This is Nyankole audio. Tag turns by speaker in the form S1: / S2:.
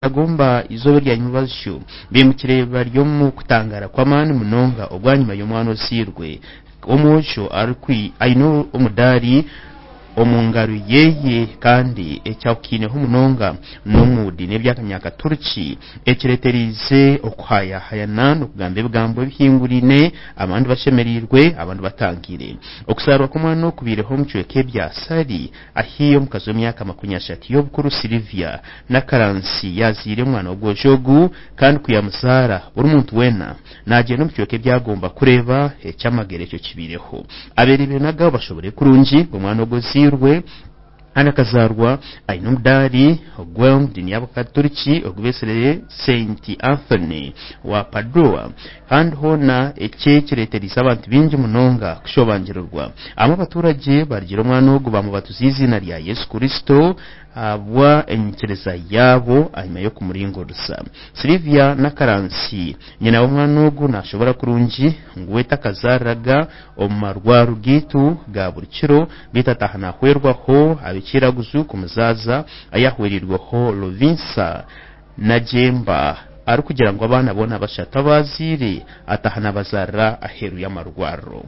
S1: Gomba izooba erya nyimubazyo baimukire bari omu kutangaara kw'amaani munonga obwanyima y'omwana ozairwe omwojo aine omudaari omu ngaro yeye kandi ekyahukiineho munonga n'omu diini y'eby'akanyakaturiki ekireetereize okuhayahayana n'okugamba ebigambo ebihinguraine abandi bashemereirwe abandi batangiire. Okuzaarwa kw'omwana oku kubaireho omu kicweka ebya Sari ahi omukazi w'emyaka 30 y'obukuru Sylvia Nakaransi yaazaire omwana w'obwojo ogu kandi ku yamuzaara buri muntu weena naagyenda omu kicweka ebyagomba kureeba eky'amagero ekyo kibaireho. Abeereebire n'agaabo bashoboreire kurungi ngu omwana ogu ozairwe kandi akazaarwa aine omudaari ogw'omu diini y'Abakaturiki ogu beetsire Saint Anthony wa Padua kandi hoona eki kireetereize abantu baingi munonga kushobangirirwa. Abamwe abaturagye barigiire omwana ogu baamubatuza eiziina rya Yesu Kristo ahabwa enyikiriza yaabo ahanyima y'okumuringuriza. Sylvia Nakaransi, nyina w'omwana ogu naashobora kurungi ngu we takazaariraga omu marwaro gaitu ga buri kiro beitu ataaha naahwerwaho ab'ekiiraguzu kumuzaaza ahi ahwereirweho Lovinsa Nagyemba arikugira ngu abaana boona bashatu abu azaire ataaha naabazaarira aheeru y'amarwariro.